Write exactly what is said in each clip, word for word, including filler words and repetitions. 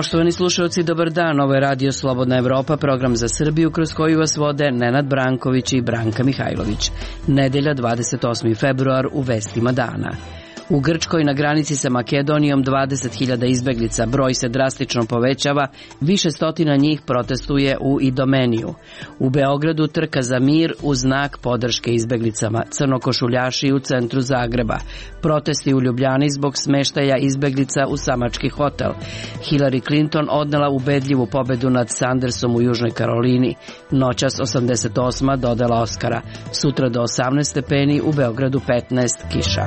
Poštovani slušalci, dobar dan. Ovo je Radio Slobodna Evropa, program za Srbiju kroz koju vas vode Nenad Branković i Branka Mihajlović. Nedelja, dvadeset osmi februar, u vestima dana. U Grčkoj na granici sa Makedonijom dvadeset hiljada izbeglica, broj se drastično povećava, više stotina njih protestuje u Idomeniju. U Beogradu trka za mir u znak podrške izbeglicama, crnokošuljaši u centru Zagreba, protesti u Ljubljani zbog smeštaja izbeglica u samački hotel. Hillary Clinton odnela ubedljivu pobedu nad Sandersom u Južnoj Karolini, noćas osamdeset osma dodala Oskara, sutra do osamnaest stepeni, u Beogradu petnaest, kiša.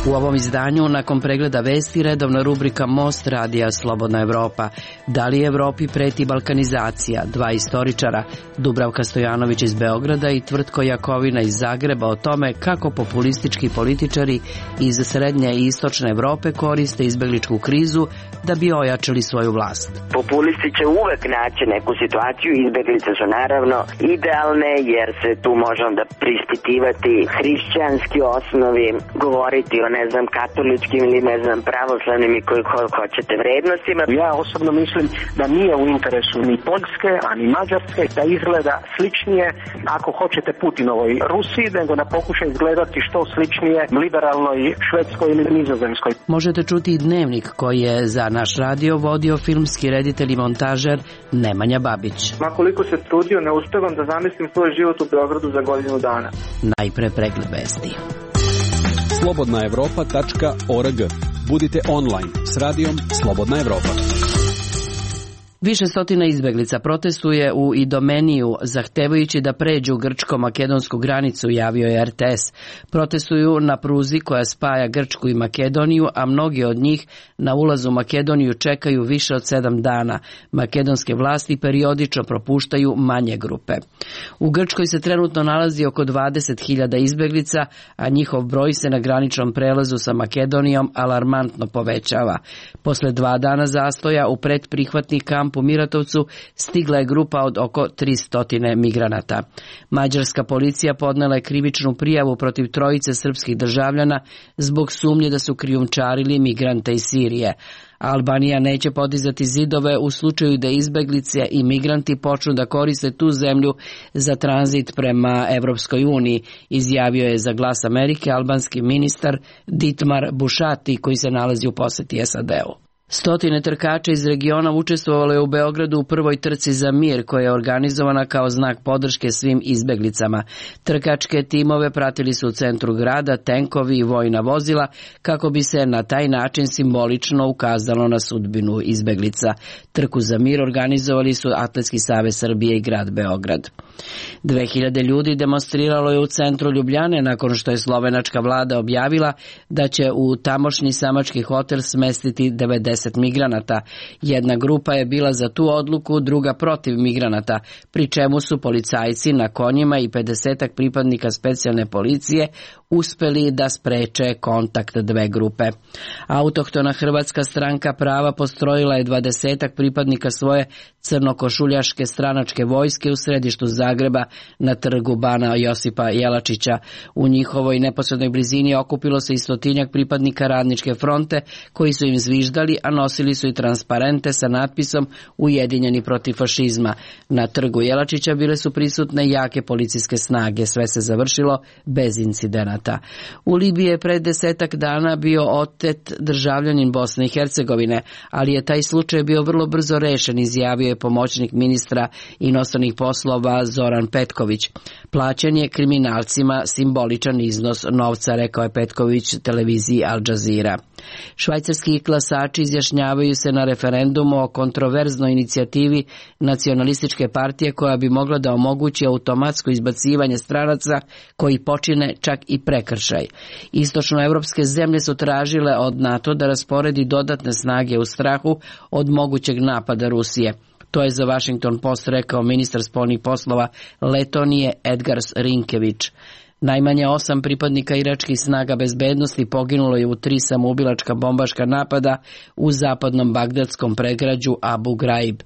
U ovom izdanju, nakon pregleda vesti, redovna rubrika Most radija Slobodna Evropa. Da li Evropi preti balkanizacija? Dva istoričara, Dubravka Stojanović iz Beograda i Tvrtko Jakovina iz Zagreba, o tome kako populistički političari iz srednje i istočne Evrope koriste izbegličku krizu da bi ojačali svoju vlast. Populisti će uvek naći neku situaciju, izbeglice su naravno idealne jer se tu može onda prispitivati hrišćanski osnovi, govoriti o ne znam katoličkim ili ne znam pravoslavnim i koji hoćete vrednostima. Ja osobno mislim da nije u interesu ni Poljske, a ni Mađarske da izgleda sličnije, ako hoćete, Putinovoj Rusiji, nego da pokuša izgledati što sličnije liberalnoj Švedskoj ili Nizozemskoj. Možete čuti i dnevnik koji je za naš radio vodio filmski reditelj i montažer Nemanja Babić. Ma koliko se trudio, ne uspevam da zamislim svoj život u Beogradu za godinu dana. Najpre pregled vesti. slobodna evropa tačka org. Budite online s radijom Slobodna Evropa. Više stotina izbeglica protestuje u Idomeniju, zahtevajući da pređu grčko-makedonsku granicu, javio je R T S. Protestuju na pruzi koja spaja Grčku i Makedoniju, a mnogi od njih na ulazu u Makedoniju čekaju više od sedam dana. Makedonske vlasti periodično propuštaju manje grupe. U Grčkoj se trenutno nalazi oko dvadeset hiljada izbeglica, a njihov broj se na graničnom prelazu sa Makedonijom alarmantno povećava. Posle dva dana zastoja u predprihvatni kamp u Miratovcu stigla je grupa od oko tristo migranata. Mađarska policija podnela je krivičnu prijavu protiv trojice srpskih državljana zbog sumnje da su krijumčarili migrante iz Sirije. Albanija neće podizati zidove u slučaju da izbeglice i migranti počnu da koriste tu zemlju za tranzit prema Evropskoj uniji, izjavio je za Glas Amerike albanski ministar Ditmar Bušati, koji se nalazi u poseti S A D-u. Stotine trkača iz regiona učestvovalo je u Beogradu u prvoj trci za mir, koja je organizovana kao znak podrške svim izbeglicama. Trkačke timove pratili su u centru grada tenkovi i vojna vozila kako bi se na taj način simbolično ukazalo na sudbinu izbeglica. Trku za mir organizovali su Atletski savez Srbije i grad Beograd. Dve hiljade ljudi demonstriralo je u centru Ljubljane nakon što je slovenačka vlada objavila da će u tamošnji samački hotel smestiti devedeset migranata. Jedna grupa je bila za tu odluku, druga protiv migranata, pri čemu su policajci na konjima i pedesetak pripadnika specijalne policije uspeli da spreče kontakt dve grupe. Autohtona Hrvatska stranka prava postrojila je dvadesetak pripadnika svoje crnokošuljaške stranačke vojske u središtu Zagreba na trgu Bana Josipa Jelačića. U njihovoj neposrednoj blizini okupilo se i stotinjak pripadnika Radničke fronte koji su im zviždali, a nosili su i transparente sa natpisom Ujedinjeni protiv fašizma. Na trgu Jelačića bile su prisutne jake policijske snage. Sve se završilo bez incidenata. U Libiji je pred desetak dana bio otet državljanin Bosne i Hercegovine, ali je taj slučaj bio vrlo brzo rešen, izjavio je pomoćnik ministra inostranih poslova Zoran Petković. Plaćen je kriminalcima simboličan iznos novca, rekao je Petković televiziji Al Jazeera. Švajcarski glasači izjašnjavaju se na referendumu o kontroverznoj inicijativi nacionalističke partije koja bi mogla da omogući automatsko izbacivanje stranaca koji počine čak i prekršaj. Istočnoevropske zemlje su tražile od NATO da rasporedi dodatne snage u strahu od mogućeg napada Rusije. To je za Washington Post rekao ministar spoljnih poslova Letonije Edgars Rinkević. Najmanje osam pripadnika iračkih snaga bezbednosti poginulo je u tri samoubilačka bombaška napada u zapadnom bagdadskom predgrađu Abu Ghraib.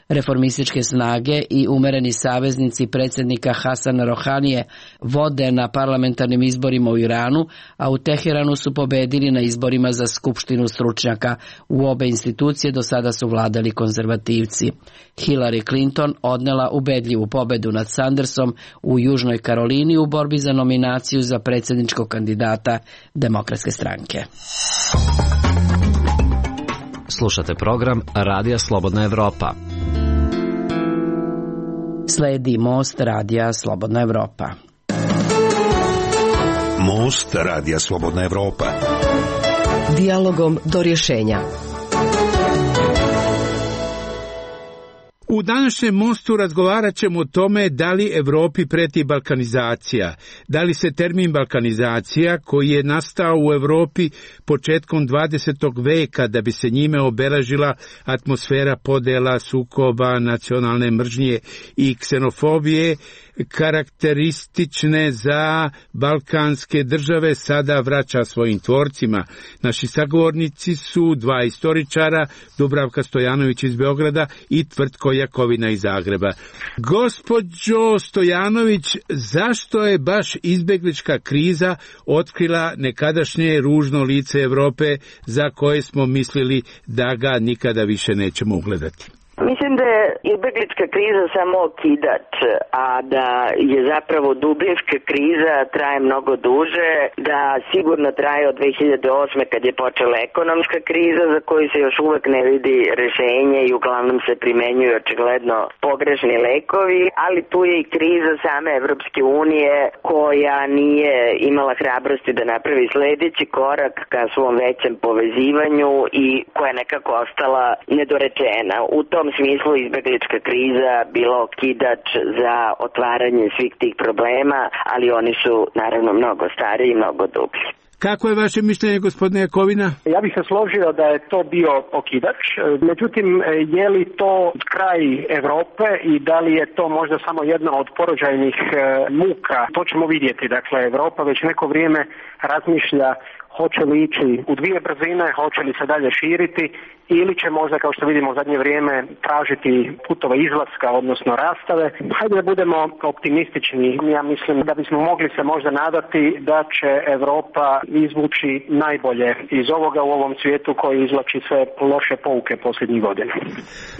Reformističke snage i umereni saveznici predsjednika Hasana Rohanije vode na parlamentarnim izborima u Iranu, a u Teheranu su pobedili na izborima za skupštinu stručnjaka. U obe institucije do sada su vladali konzervativci. Hillary Clinton odnela ubedljivu pobedu nad Sandersom u Južnoj Karolini u borbi za nominaciju za predsjedničkog kandidata Demokratske stranke. Slušate program Radija Slobodna Evropa. Sledi Most Radija Slobodna Evropa. Most Radija Slobodna Evropa. Dijalogom do rješenja. U današnjem Mostu razgovarat ćemo o tome da li Evropi preti balkanizacija, da li se termin balkanizacija, koji je nastao u Evropi početkom dvadesetog veka da bi se njime obeležila atmosfera podela, sukoba, nacionalne mržnje i ksenofobije, karakteristične za balkanske države, sada vraća svojim tvorcima. Naši sagovornici su dva istoričara, Dubravka Stojanović iz Beograda i Tvrtko Jakovina iz Zagreba. Gospođo Stojanović, zašto je baš izbeglička kriza otkrila nekadašnje ružno lice Evrope za koje smo mislili da ga nikada više nećemo ugledati? Mislim da je izbeglička kriza samo okidač, a da je zapravo dubinska kriza traje mnogo duže, da sigurno traje od dve hiljade osme kad je počela ekonomska kriza za koju se još uvek ne vidi rešenje i uglavnom se primenjuju očigledno pogrešni lekovi, ali tu je i kriza same Evropske unije koja nije imala hrabrosti da napravi sledeći korak ka svom većem povezivanju i koja je nekako ostala nedorečena. U tom U tom smislu izbeglička kriza bila okidač za otvaranje svih tih problema, ali oni su naravno mnogo stariji i mnogo dublji. Kako je vaše mišljenje, gospodine Jakovina? Ja bih se složio da je to bio okidač, međutim, je li to kraj Evrope i da li je to možda samo jedna od porođajnih muka? To ćemo vidjeti. Dakle, Evropa već neko vrijeme razmišlja hoće li ići u dvije brzine, hoće li se dalje širiti ili će možda, kao što vidimo u zadnje vrijeme, tražiti putove izlaska, odnosno rastave. Hajde da budemo optimistični. Ja mislim da bismo mogli se možda nadati da će Evropa izvući najbolje iz ovoga u ovom svijetu koji izvlači sve loše pouke posljednjih godina.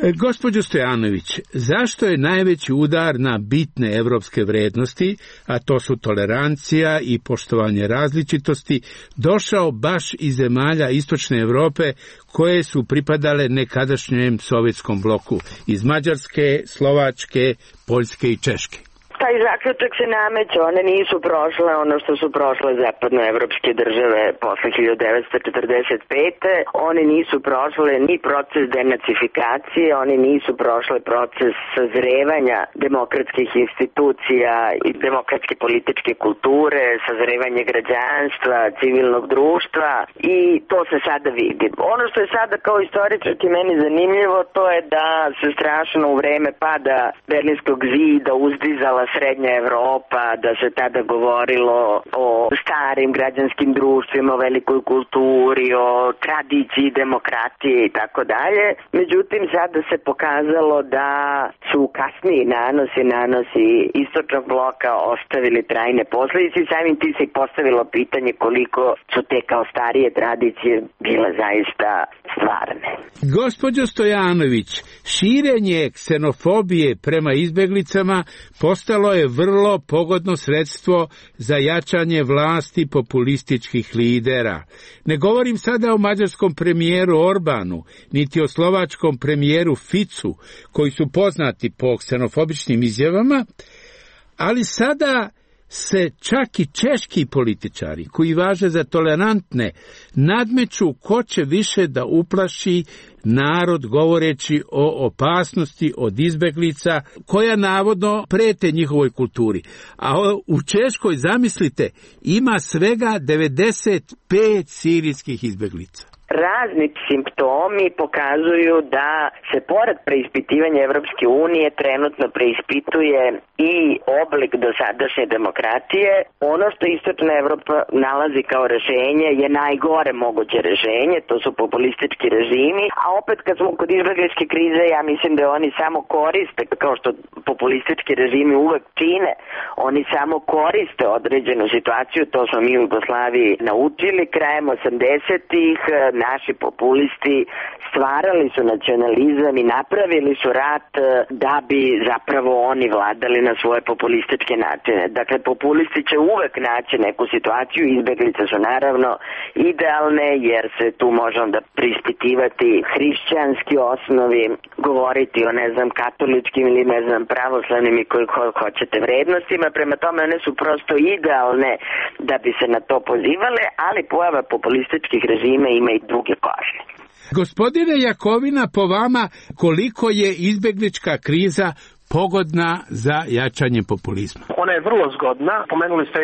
E, gospođo Stojanović, zašto je najveći udar na bitne evropske vrednosti, a to su tolerancija i poštovanje različitosti, došao baš iz zemalja istočne Evrope koje su pripadale nekadašnjem sovjetskom bloku, iz Mađarske, Slovačke, Poljske i Češke? Taj zaključak se nameće, one nisu prošle ono što su prošle zapadnoevropske države posle hiljadu devetsto četrdeset pete. Oni nisu prošle ni proces denacifikacije, oni nisu prošle proces sazrevanja demokratskih institucija i demokratske političke kulture, sazrevanje građanstva, civilnog društva i to se sada vidi. Ono što je sada kao istoričarki meni zanimljivo, to je da se strašno u vreme pada Berlinskog zida uzdizala srednja Evropa, da se tada govorilo o starim građanskim društvima, o velikoj kulturi, o tradiciji demokratije i tako dalje. Međutim, sada se pokazalo da su kasniji nanosi, nanosi istočnog bloka ostavili trajne posljedice i samim tim se i postavilo pitanje koliko su te kao starije tradicije bile zaista stvarne. Gospođo Stojanović, širenje ksenofobije prema izbeglicama postalo je vrlo pogodno sredstvo za jačanje vlasti populističkih lidera. Ne govorim sada o mađarskom premijeru Orbanu, niti o slovačkom premijeru Ficu, koji su poznati po ksenofobičnim izjavama, ali sada se čak i češki političari, koji važe za tolerantne, nadmeću ko će više da uplaši narod govoreći o opasnosti od izbeglica koja navodno prete njihovoj kulturi. A u Češkoj, zamislite, ima svega devedeset pet sirijskih izbeglica. Razni simptomi pokazuju da se pored preispitivanja Evropske unije trenutno preispituje i oblik dosadašnje demokratije. Ono što Istočna Evropa nalazi kao rešenje je najgore moguće rešenje, to su populistički režimi, a opet kad smo kod izbegličke krize, ja mislim da oni samo koriste, kao što populistički režimi uvek čine, oni samo koriste određenu situaciju, to smo mi u Jugoslaviji naučili krajem osamdesetih. Naši populisti stvarali su nacionalizam i napravili su rat da bi zapravo oni vladali na svoje populističke načine. Dakle, populisti će uvek naći neku situaciju, izbeglice su naravno idealne jer se tu može onda prispitivati hrišćanski osnovi, govoriti o, ne znam, katoličkim ili, ne znam, pravoslavnim i koji hoćete vrednostima, prema tome one su prosto idealne da bi se na to pozivale, ali pojava populističkih režima ima i druge košne. Gospodine Jakovina, po vama koliko je izbeglička kriza pogodna za jačanje populizma? Ona je vrlo zgodna. Pomenuli ste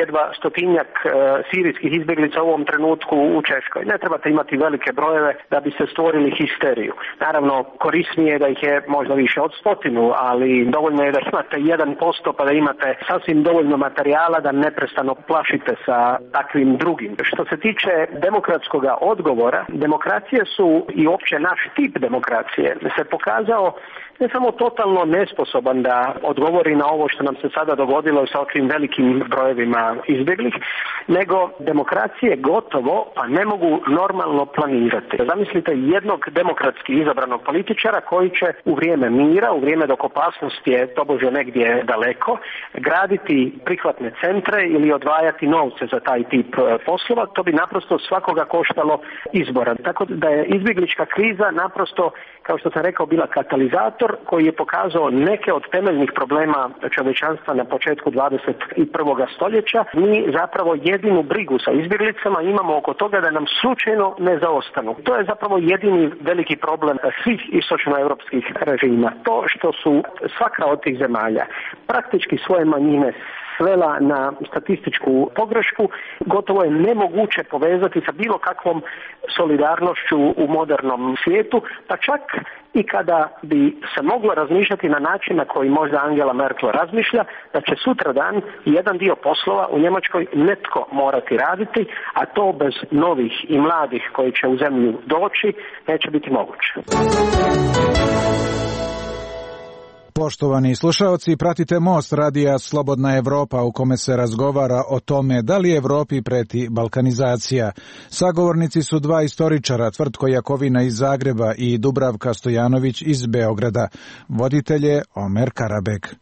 jedva stotinjak e, sirijskih izbjeglica u ovom trenutku u Češkoj. Ne trebate imati velike brojeve da bi se stvorili histeriju. Naravno, korisnije je da ih je možda više od stotinu, ali dovoljno je da imate jedan posto pa da imate sasvim dovoljno materijala da neprestano plašite sa takvim drugim. Što se tiče demokratskog odgovora, demokracije su i uopće naš tip demokracije se pokazao ne samo totalno nesposoban da odgovori na ovo što nam se sada dogodilo sa ovim velikim brojevima izbjeglih, nego demokracije gotovo pa ne mogu normalno planirati. Zamislite jednog demokratski izabranog političara koji će u vrijeme mira, u vrijeme dok opasnost je tobože negdje daleko, graditi prihvatne centre ili odvajati novce za taj tip poslova. To bi naprosto svakoga koštalo izbora. Tako da je izbjeglička kriza naprosto, kao što sam rekao, bila katalizator koji je pokazao neke od temeljnih problema čovječanstva na početku dvadeset prvog stoljeća. Mi zapravo jedinu brigu sa izbjeglicama imamo oko toga da nam slučajno ne zaostanu. To je zapravo jedini veliki problem svih istočnoevropskih režima. To što su svaka od tih zemalja praktički svoje manjine svela na statističku pogrešku, gotovo je nemoguće povezati sa bilo kakvom solidarnošću u modernom svijetu, pa čak i kada bi se moglo razmišljati na način na koji možda Angela Merkel razmišlja, da će sutradan jedan dio poslova u Njemačkoj netko morati raditi, a to bez novih i mladih koji će u zemlju doći neće biti moguće. Poštovani slušaoci, pratite Most radija Slobodna Evropa u kome se razgovara o tome da li Evropi preti balkanizacija. Sagovornici su dva istoričara, Tvrtko Jakovina iz Zagreba i Dubravka Stojanović iz Beograda. Voditelj je Omer Karabek.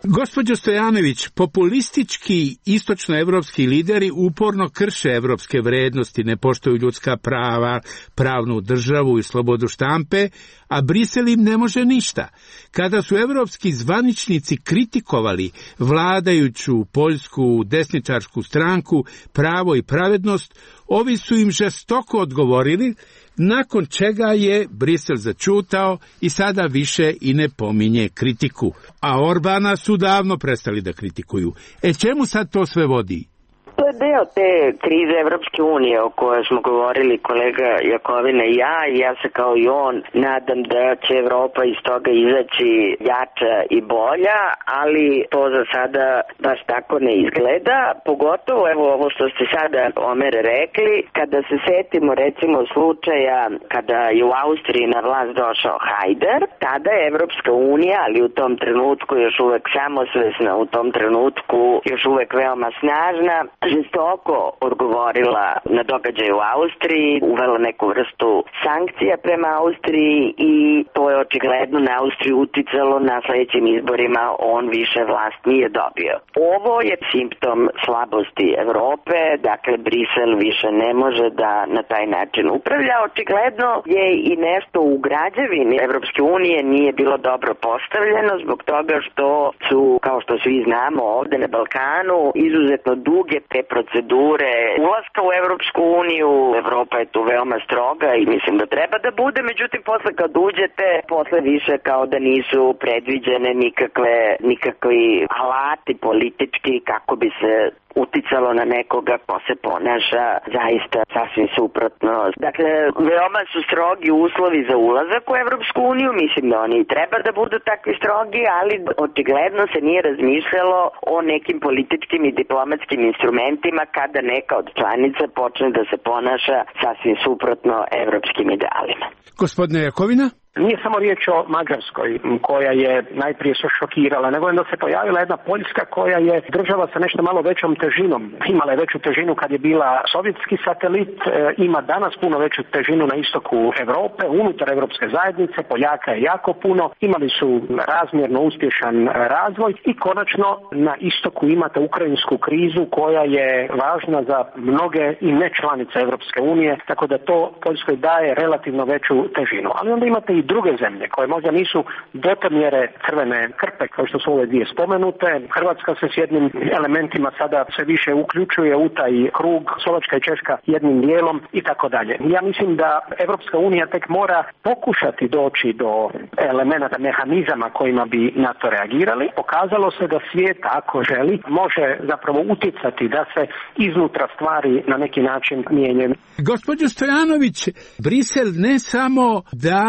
Gospođo Stojanović, populistički istočnoevropski lideri uporno krše evropske vrednosti, ne poštuju ljudska prava, pravnu državu i slobodu štampe, a Brisel im ne može ništa. Kada su evropski zvaničnici kritikovali vladajuću poljsku desničarsku stranku Pravo i pravednost, ovi su im žestoko odgovorili, nakon čega je Brisel začutao i sada više i ne pominje kritiku. A Orbana su davno prestali da kritikuju. E čemu sad to sve vodi? To je deo te krize Evropske unije o kojoj smo govorili kolega Jakovina i ja, i ja se kao i on nadam da će Evropa iz toga izaći jača i bolja, ali to za sada baš tako ne izgleda, pogotovo evo ovo što ste sada, Omer, rekli, kada se setimo recimo slučaja kada je u Austriji na vlast došao Hajder, tada je Evropska unija, ali u tom trenutku još uvek samosvesna, u tom trenutku još uvek veoma snažna, žestoko odgovorila na događaj u Austriji, uvela neku vrstu sankcija prema Austriji i to je očigledno na Austriju uticalo, na sledećim izborima on više vlast nije dobio. Ovo je simptom slabosti Evrope, dakle Brisel više ne može da na taj način upravlja. Očigledno je i nešto u građevini Evropske unije nije bilo dobro postavljeno zbog toga što su, kao što svi znamo ovde na Balkanu, izuzetno duge te procedure ulaska u Evropsku uniju. Evropa je tu veoma stroga i mislim da treba da bude, međutim posle kad uđete, posle više kao da nisu predviđene nikakve, nikakvi alati politički kako bi se uticalo na nekoga ko se ponaša zaista sasvim suprotno. Dakle, veoma su strogi uslovi za ulazak u Evropsku uniju, mislim da oni treba da budu takvi strogi, ali očigledno se nije razmišljalo o nekim političkim i diplomatskim instrumentima kada neka od članica počne da se ponaša sasvim suprotno evropskim idealima. Gospodine Jakovina? Nije samo riječ o Mađarskoj koja je najprije se šokirala, nego je da se pojavila jedna Poljska koja je država sa nešto malo većom težinom. Imala je veću težinu kad je bila sovjetski satelit, ima danas puno veću težinu na istoku Europe, unutar Europske zajednice, Poljaka je jako puno, imali su razmjerno uspješan razvoj i konačno na istoku imate ukrajinsku krizu koja je važna za mnoge i ne članice Europske unije, tako da to Poljskoj daje relativno veću težinu. Ali onda imate i druge zemlje koje možda nisu do te mjere crvene krpe kao što su ove dvije spomenute. Hrvatska se s jednim elementima sada sve više uključuje u taj krug, Slovačka i Češka jednim dijelom i tako dalje. Ja mislim da Evropska unija tek mora pokušati doći do elemenata, mehanizama kojima bi na to reagirali. Pokazalo se da svijet, ako želi, može zapravo utjecati da se iznutra stvari na neki način mijenjaju. Gospođo Stojanović, Brisel ne samo da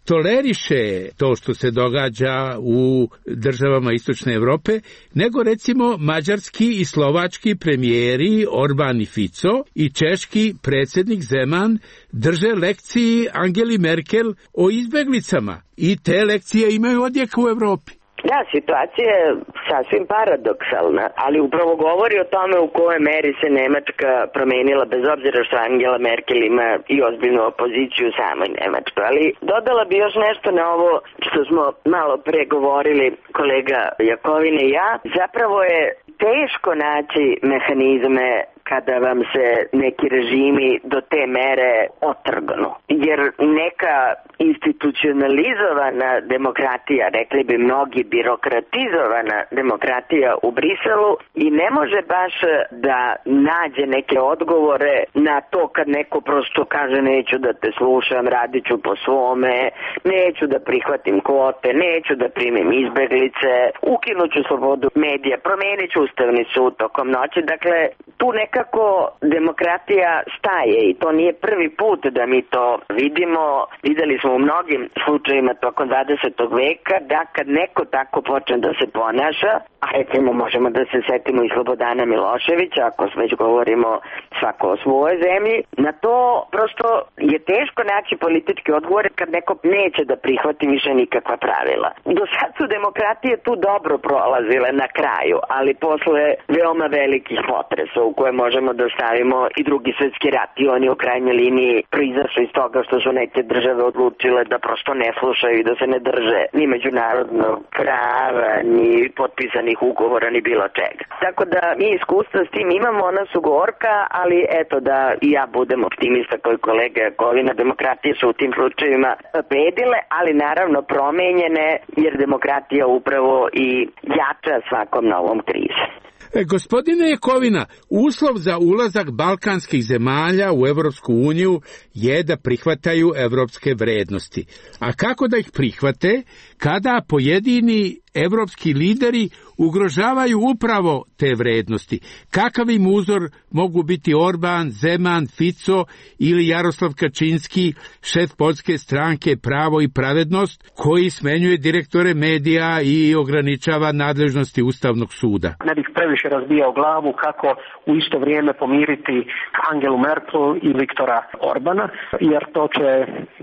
toleriše to što se događa u državama Istočne Europe, nego recimo mađarski i slovački premijeri Orban i Fico i češki predsjednik Zeman drže lekciji Angeli Merkel o izbeglicama i te lekcije imaju odjek u Europi. Da, situacija je sasvim paradoksalna, ali upravo govori o tome u kojoj meri se Nemačka promenila, bez obzira što Angela Merkel ima i ozbiljnu opoziciju u samoj Nemačkoj. Ali dodala bi još nešto na ovo što smo malo pre govorili kolega Jakovine i ja. Zapravo je teško naći mehanizme kada vam se neki režimi do te mere otrgnu. Jer neka institucionalizovana demokratija, rekli bi mnogi birokratizovana demokratija u Briselu i ne može baš da nađe neke odgovore na to kad neko prosto kaže neću da te slušam, radit ću po svome, neću da prihvatim kvote, neću da primim izbeglice, ukinut ću slobodu medija, promenit ću ustavni sud tokom noći. Dakle, tu nekako demokratija staje i to nije prvi put da mi to vidimo. Videli smo u mnogim slučajima tokom dvadesetog veka da kad neko tako počne da se ponaša, a recimo možemo da se setimo i Slobodana Miloševića, ako već govorimo svako o svojoj zemlji, na to prosto je teško naći politički odgovor kad neko neće da prihvati više nikakva pravila. Do sad su demokratije tu dobro prolazile na kraju, ali posle veoma velikih potresa u koje možemo da stavimo i drugi svjetski rat i oni u krajnjoj liniji proizašli iz toga što su neke države odlučile da prosto ne slušaju i da se ne drže ni međunarodnog prava, ni potpisanih ugovora, ni bilo čega. Tako da mi iskustva s tim imamo, ona su gorka, ali eto da i ja budem optimista koji kolega Jakovina, demokratije su u tim slučajevima pobedile, ali naravno promenjene, jer demokratija upravo i jača svakom novom krizom. E, gospodine Jakovina, uslov za ulazak balkanskih zemalja u Evropsku uniju je da prihvataju evropske vrednosti. A kako da ih prihvate kada pojedini evropski lideri ugrožavaju upravo te vrednosti? Kakav im uzor mogu biti Orban, Zeman, Fico ili Jaroslav Kačinski, šef poljske stranke Pravo i pravednost, koji smenjuje direktore medija i ograničava nadležnosti Ustavnog suda? Ne bih previše razbijao glavu kako u isto vrijeme pomiriti Angelu Merkel i Viktora Orbana, jer to će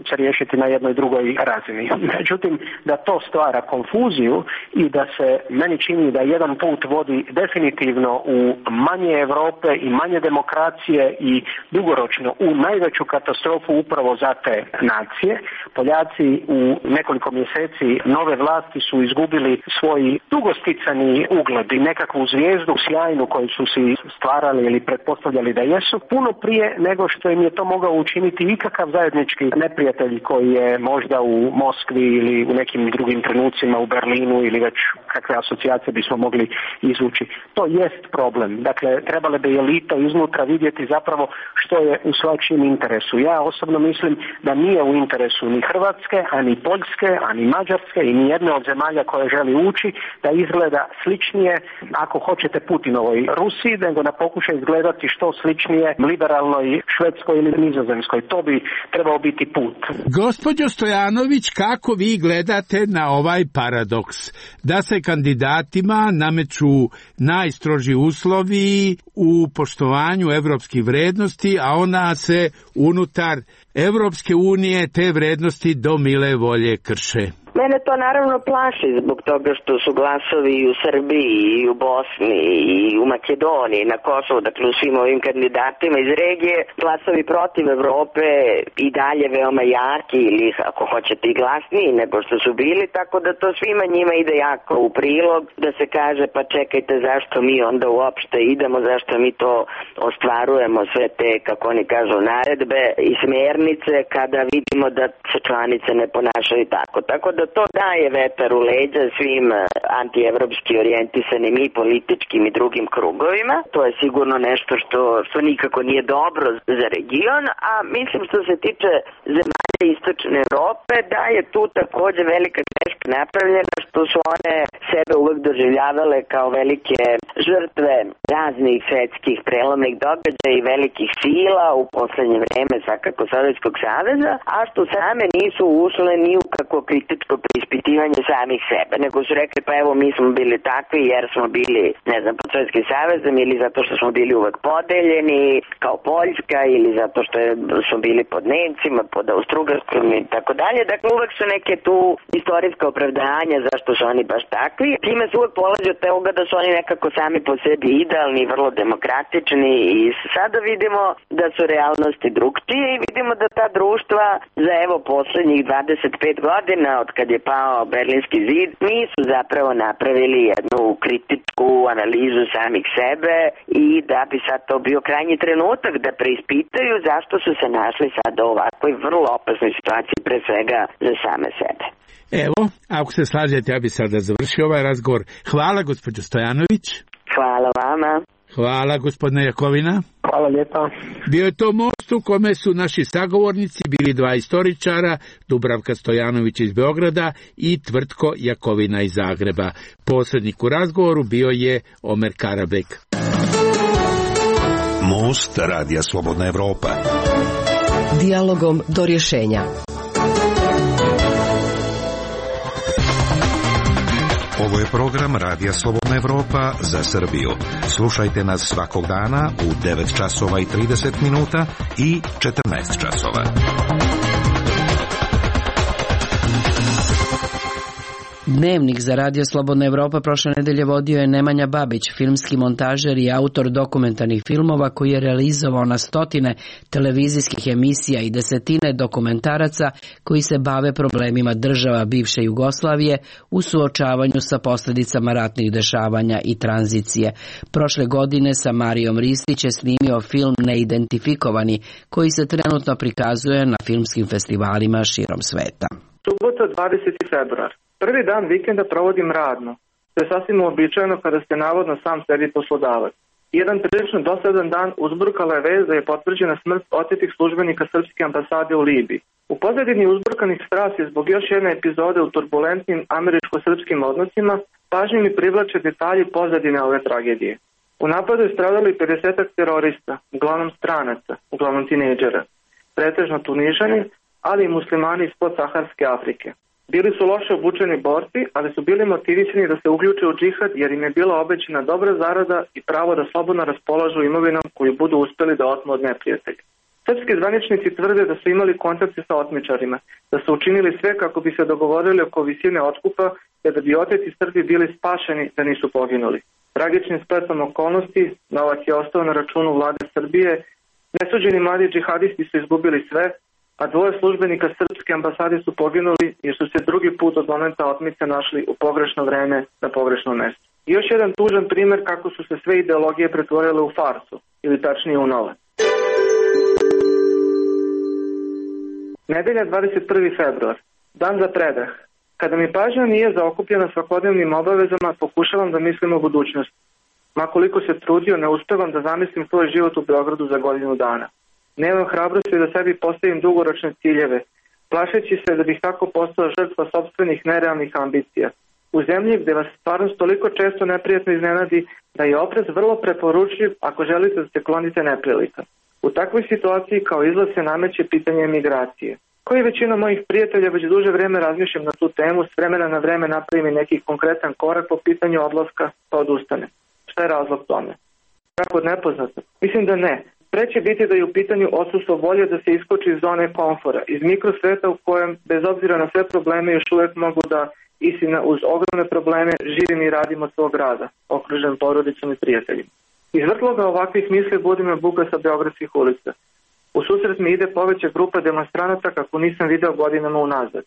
se riješiti na jednoj drugoj razini. Međutim, da to stvara konfuziju i da se meni čini da jedan put vodi definitivno u manje Europe i manje demokracije i dugoročno u najveću katastrofu upravo za te nacije. Poljaci u nekoliko mjeseci nove vlasti su izgubili svoj dugosticani ugled i nekakvu zvijezdu sjajnu koju su si stvarali ili pretpostavljali da jesu, puno prije nego što im je to mogao učiniti ikakav zajednički neprijatelj koji je možda u Moskvi ili u nekim drugim trenucima u Berlinu ili već kakve asocijacije bismo mogli izvući. To jest problem. Dakle, trebale bi elita iznutra vidjeti zapravo što je u svačijem interesu. Ja osobno mislim da nije u interesu ni Hrvatske, a ni Poljske, a ni Mađarske i ni jedne od zemalja koje želi ući da izgleda sličnije, ako hoćete, Putinovoj Rusiji, nego da pokuša izgledati što sličnije liberalnoj Švedskoj ili Nizozemskoj. To bi trebao biti put. Gospođo Stojanović, kako vi gledate na ovaj paradoks da se kandidatima nameću najstroži uslovi u poštovanju evropskih vrednosti, a ona se unutar Evropske unije te vrednosti do mile volje krše? Mene to naravno plaši zbog toga što su glasovi i u Srbiji, i u Bosni, i u Makedoniji, na Kosovu, dakle u svim ovim kandidatima iz regije, glasovi protiv Evrope i dalje veoma jaki ili ako hoćete i glasniji nego što su bili, tako da to svima njima ide jako u prilog, da se kaže pa čekajte zašto mi onda uopšte idemo, zašto mi to ostvarujemo sve te, kako oni kažu, naredbe i smjernice kada vidimo da se članice ne ponašaju tako. Tako da to daje vetar u leđa svim antievropski orijentisanim i političkim i drugim krugovima. To je sigurno nešto što, što nikako nije dobro za region, a mislim što se tiče zemalja istočne Evrope, da je tu također velika greška napravljena što su one sebe uvek doživljavale kao velike žrtve raznih svetskih prelomnih događaja i velikih sila u poslednje vreme svakako Sovjetskog saveza, a što same nisu ušle ni u kako kritičko preispitivanje samih sebe, nego su rekli pa evo mi smo bili takvi jer smo bili, ne znam, pod Sovjetskim savezom ili zato što smo bili uvek podeljeni kao Poljska ili zato što je, smo bili pod Nemcima, pod Austrougarskom i tako dalje. Dakle, uvek su neke tu istorijska opravdanja zašto su oni baš takvi. Time se uvek polazi od toga da su oni nekako sami po sebi idealni, vrlo demokratični i sada vidimo da su realnosti drugčije i vidimo da ta društva za evo poslednjih dvadeset pet godina od kad je pao Berlinski zid nisu zapravo napravili jednu kritičku analizu samih sebe i da bi sad to bio krajnji trenutak da preispitaju zašto su se našli sad u ovakvoj vrlo opasnoj situaciji, pre svega za same sebe. Evo, ako se slažete, ja bi sada završio ovaj razgovor. Hvala, gospođo Stojanović. Hvala vama. Hvala, gospodine Jakovina. Hvala lijepa. Bio je to most u kome su naši sagovornici bili dva istoričara, Dubravka Stojanović iz Beograda i Tvrtko Jakovina iz Zagreba. Posrednik u razgovoru bio je Omer Karabek. Most Radija Slobodna Evropa. Dijalogom do rješenja. Ovo je program Radija Slobodna Evropa za Srbiju. Slušajte nas svakog dana u devet časova i trideset minuta i četrnaest časova. Dnevnik za Radio Slobodna Evropa prošle nedelje vodio je Nemanja Babić, filmski montažer i autor dokumentarnih filmova koji je realizovao na stotine televizijskih emisija i desetine dokumentaraca koji se bave problemima država bivše Jugoslavije u suočavanju sa posljedicama ratnih dešavanja i tranzicije. Prošle godine sa Marijom Ristić je snimio film Neidentifikovani koji se trenutno prikazuje na filmskim festivalima širom sveta. Subota dvadeseti februar. Prvi dan vikenda provodim radno. To je sasvim uobičajeno kada ste navodno sam sebi poslodavac. Jedan prilično dosadan dan uzburkala je vez da je potvrđena smrt otetih službenika srpske ambasade u Libiji. U pozadini uzburkanih strasti zbog još jedne epizode u turbulentnim američko-srpskim odnosima pažnju mi privlače detalji pozadine ove tragedije. U napadu je stradali pedesetak terorista, uglavnom stranaca, uglavnom tinejdžera, pretežno Tunižani, ali i muslimani iz podsaharske Afrike. Bili su loše obučeni borci, ali su bili motivisani da se uključe u džihad jer im je bila obećana dobra zarada i pravo da slobodno raspolažu imovinom koju budu uspeli da otmu od neprijatelja. Srpski zvaničnici tvrde da su imali kontakte sa otmičarima, da su učinili sve kako bi se dogovorili oko visine otkupa, te da bi oteti Srbi bili spašeni da nisu poginuli. Tragičnim spletom okolnosti, novac je ostao na računu vlade Srbije, nesuđeni mladi džihadisti su izgubili sve, a dvoje službenika srpske ambasade su poginuli jer su se drugi put od momenta otmice našli u pogrešno vreme na pogrešno mesto. I još jedan tužan primjer kako su se sve ideologije pretvorile u farsu, ili tačnije u nove. Nedelja dvadeset prvi februar. Dan za predah. Kada mi pažnja nije zaokupljena svakodnevnim obavezama, pokušavam da mislim o budućnosti. Makoliko se trudio, ne uspevam da zamislim svoj život u Beogradu za godinu dana. Nemam hrabrosti da sebi postavim dugoročne ciljeve, plašeći se da bih tako postao žrtva sopstvenih nerealnih ambicija. U zemlji gde vas stvarnost toliko često neprijatno iznenadi da je oprez vrlo preporučljiv ako želite da se klonite neprilika. U takvoj situaciji kao izlaz se nameće pitanje emigracije. Koji većina mojih prijatelja već duže vreme razmišljam na tu temu, s vremena na vreme napravim neki konkretan korak po pitanju odlaska, pa odustane. Šta je razlog tome? Kako od nepoznatog? Mislim da ne. Preće biti da je u pitanju odsustvo volje da se iskoči iz zone komfora, iz mikrosveta u kojem, bez obzira na sve probleme, još uvijek mogu da, istina uz ogromne probleme, živim i radim od svog rada, okružen porodicom i prijateljima. Iz vrtloga ovakvih misli budi me buka sa beogradskih ulica. U susret mi ide poveća grupa demonstranata kako nisam video godinama unazad.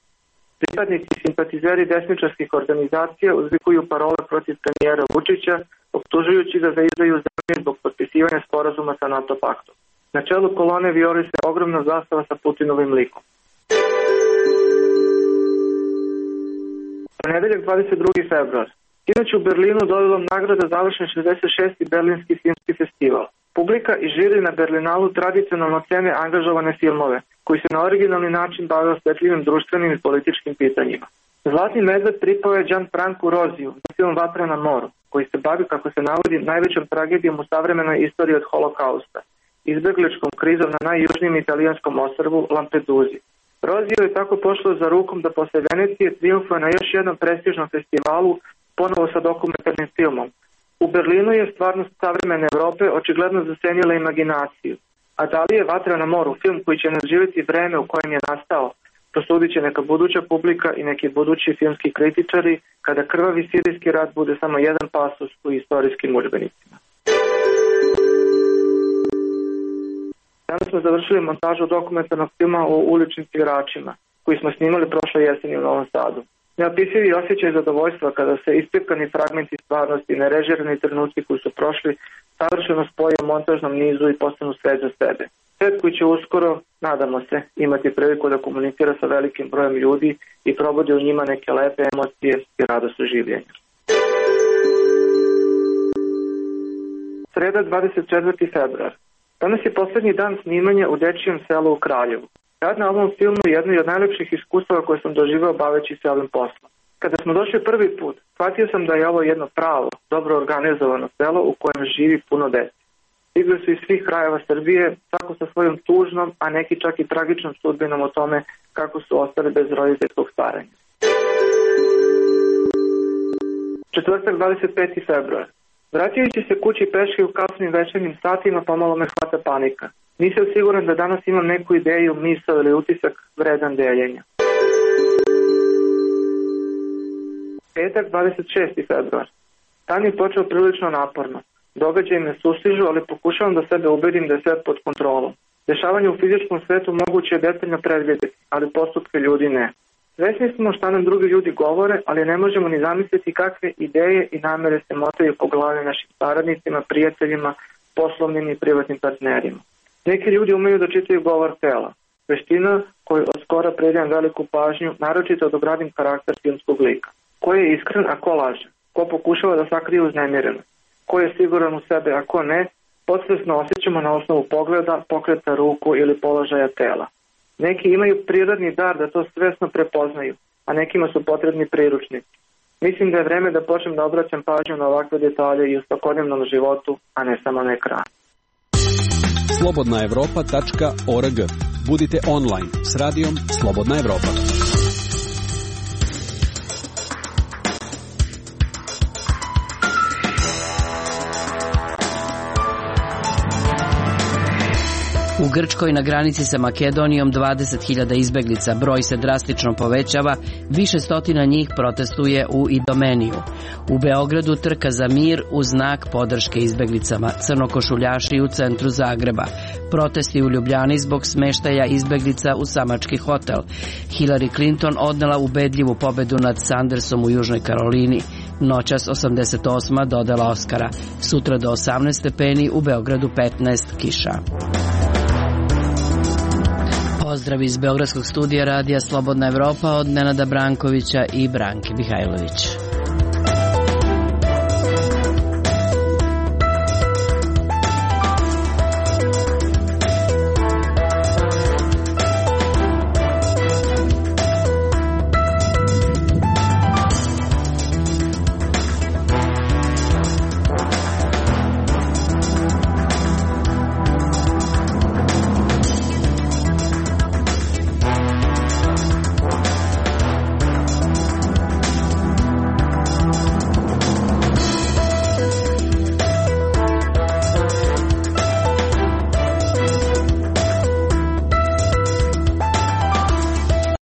Pripadnici i simpatizeri desničarskih organizacija uzvikuju parole protiv premijera Vučića, optužujući ga za izdaju zemlje zbog potpisivanja sporazuma sa NATO paktom. Na čelu kolone vijori se ogromna zastava sa Putinovim likom. U nedeljak dvadeset drugi februar. Inače u Berlinu dodelom nagrada završen šezdeset šesti Berlinski filmski festival. Publika i žiri na Berlinalu tradicionalno cene angažovane filmove, koji se na originalni način bave osvetljivim društvenim i političkim pitanjima. Zlatni medved pripao je Gianfrancu Roziju za film Vatra na moru, koji se bavi, kako se navodi, najvećom tragedijom u savremenoj istoriji od holokausta, izbegličkom krizom na najjužnijem italijanskom ostrvu Lampeduzi. Roziju je tako pošlo za rukom da posle Venecije triumfuje na još jednom prestižnom festivalu, ponovo sa dokumentarnim filmom. U Berlinu je stvarnost savremene Evrope očigledno zasenila imaginaciju. A da li je Vatra na moru film koji će nadživjeti vreme u kojem je nastao, prosudit će neka buduća publika i neki budući filmski kritičari kada krvavi sirijski rat bude samo jedan pasus u istorijskim udžbenicima. Danas smo završili montažu dokumentarnog filma o uličnim igračima, koji smo snimali prošle jeseni u Novom Sadu. Neopisivi osjećaj zadovoljstva kada se ispipkani fragmenti stvarnosti i nerežirani trenuci koji su prošli savršeno spoje u montažnom nizu i postanu svet za sebe. Svet koji će uskoro, nadamo se, imati priliku da komunicira sa velikim brojem ljudi i probudi u njima neke lepe emocije i radost u življenju. Sreda dvadeset četvrti februar. Danas je poslednji dan snimanja u Dečijem selu u Kraljevu. Rad na ovom filmu je jedno od najlepših iskustava koje sam doživao baveći se ovim poslom. Kada smo došli prvi put, shvatio sam da je ovo jedno pravo, dobro organizovano selo u kojem živi puno dece. Stigli su iz svih krajeva Srbije, svako sa svojom tužnom, a neki čak i tragičnom sudbinom o tome kako su ostali bez roditeljskog staranja. Četvrtak dvadeset peti februar. Vraćajući se kući peške u kasnim večernjim satima, pomalo me hvata panika. Nisam siguran da danas imam neku ideju, misao ili utisak vredan deljenja. Petak dvadeset šesti februar. Dan je počeo prilično naporno. Događaji me sustižu, ali pokušavam da sebe ubedim da je sve pod kontrolom. Dešavanje u fizičkom svetu moguće je detaljno predvidjeti, ali postupke ljudi ne. Svesni smo šta nam drugi ljudi govore, ali ne možemo ni zamisliti kakve ideje i namere se motaju po glavi našim saradnicima, prijateljima, poslovnim i privatnim partnerima. Neki ljudi umeju da čitaju govor tela, veština koju od skora predajem veliku pažnju, naročito da obradim karakter filmskog lika. Ko je iskren, a ko laže? Ko pokušava da sakrije uznemirenost? Ko je siguran u sebe, a ko ne? Podsvesno osjećamo na osnovu pogleda, pokreta ruku ili položaja tela. Neki imaju prirodni dar da to svesno prepoznaju, a nekima su potrebni priručnici. Mislim da je vreme da počnem da obraćam pažnju na ovakve detalje i u svakodnevnom životu, a ne samo na ekranu. slobodna evropa tačka org. Budite online s radijom Slobodna Evropa. U Grčkoj na granici sa Makedonijom dvadeset hiljada izbeglica, broj se drastično povećava, više stotina njih protestuje u Idomeniju. U Beogradu trka za mir u znak podrške izbeglicama, crnokošuljaši u centru Zagreba, protesti u Ljubljani zbog smeštaja izbeglica u samački hotel. Hillary Clinton odnela ubedljivu pobedu nad Sandersom u Južnoj Karolini. Noćas osamdeset osma dodela Oskara. Sutra do osamnaest stepeni, u Beogradu petnaest, kiša. Pozdrav iz Beogradskog studija Radija Slobodna Evropa od Nenada Brankovića i Branke Mihajlović.